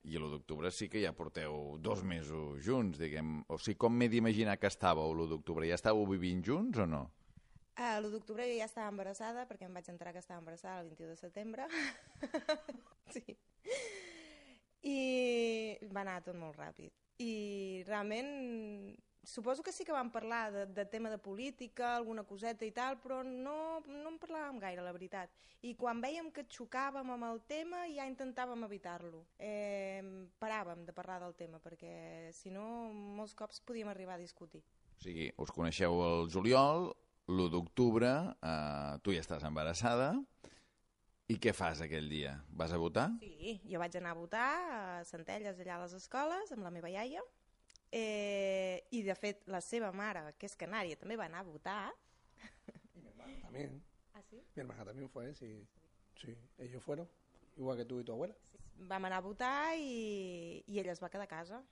I l'1 d'octubre sí que ja porteu 2 mesos junts, diguem. O sigui, com m'he d'imaginar que estàveu l'1 d'octubre? Ja estàveu vivint junts o no? L'1 d'octubre jo ja estava embarassada, perquè em vaig enterar que estava embarassada el 21 de setembre. Sí. I va anar tot molt ràpid. I realment suposo que sí que vam parlar de tema de política, alguna coseta i tal, però no en parlàvem gaire, la veritat. I quan vèiem que xocàvem amb el tema ja intentàvem evitar-lo. Paràvem de parlar del tema, perquè si no molts cops podíem arribar a discutir. O sigui, us coneixeu el juliol, l'1 d'octubre, tu ja estàs embarassada, i què fas aquell dia? Vas a votar? Sí, jo vaig anar a votar a Centelles, allà a les escoles, amb la meva iaia, y de fet la seva mare, que és canària, també va anar a votar. Y mi hermana también. ¿Ah, sí? Mi hermana también fue, sí. Sí, ellos fueron, igual que tú y tu abuela. Sí. Vam anar a votar i ella es va quedar a casa.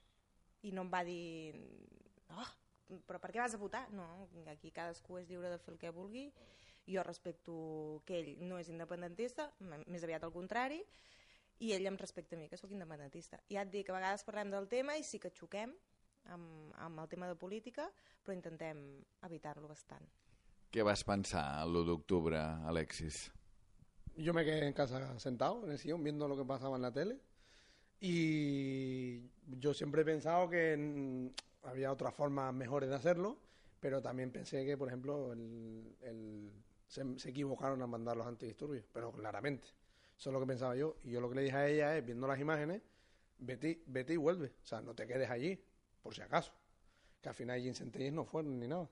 I no em va dir, oh, però per què vas a votar? No, aquí cadascú és lliure de fer el que vulgui. Jo respecto que ell no és independentista, més aviat al contrari, i ell em respecta a mi, que sóc independentista. I ja et dic que a vegades parlem del tema i sí que xoquem amb el tema de política, però intentem evitar-lo bastant. Què vas pensar l'1 d'octubre, Alexis? Yo me quedé en casa sentado en el sillón viendo lo que pasaba en la tele y yo siempre he pensado que había otras formas mejores de hacerlo, pero también pensé que, por ejemplo, se equivocaron al mandar los antidisturbios, pero claramente. Eso es lo que pensaba yo. Y yo lo que le dije a ella es, viendo las imágenes, vete y vuelve. O sea, no te quedes allí, por si acaso. Que al final allí en Centelles no fueron ni nada.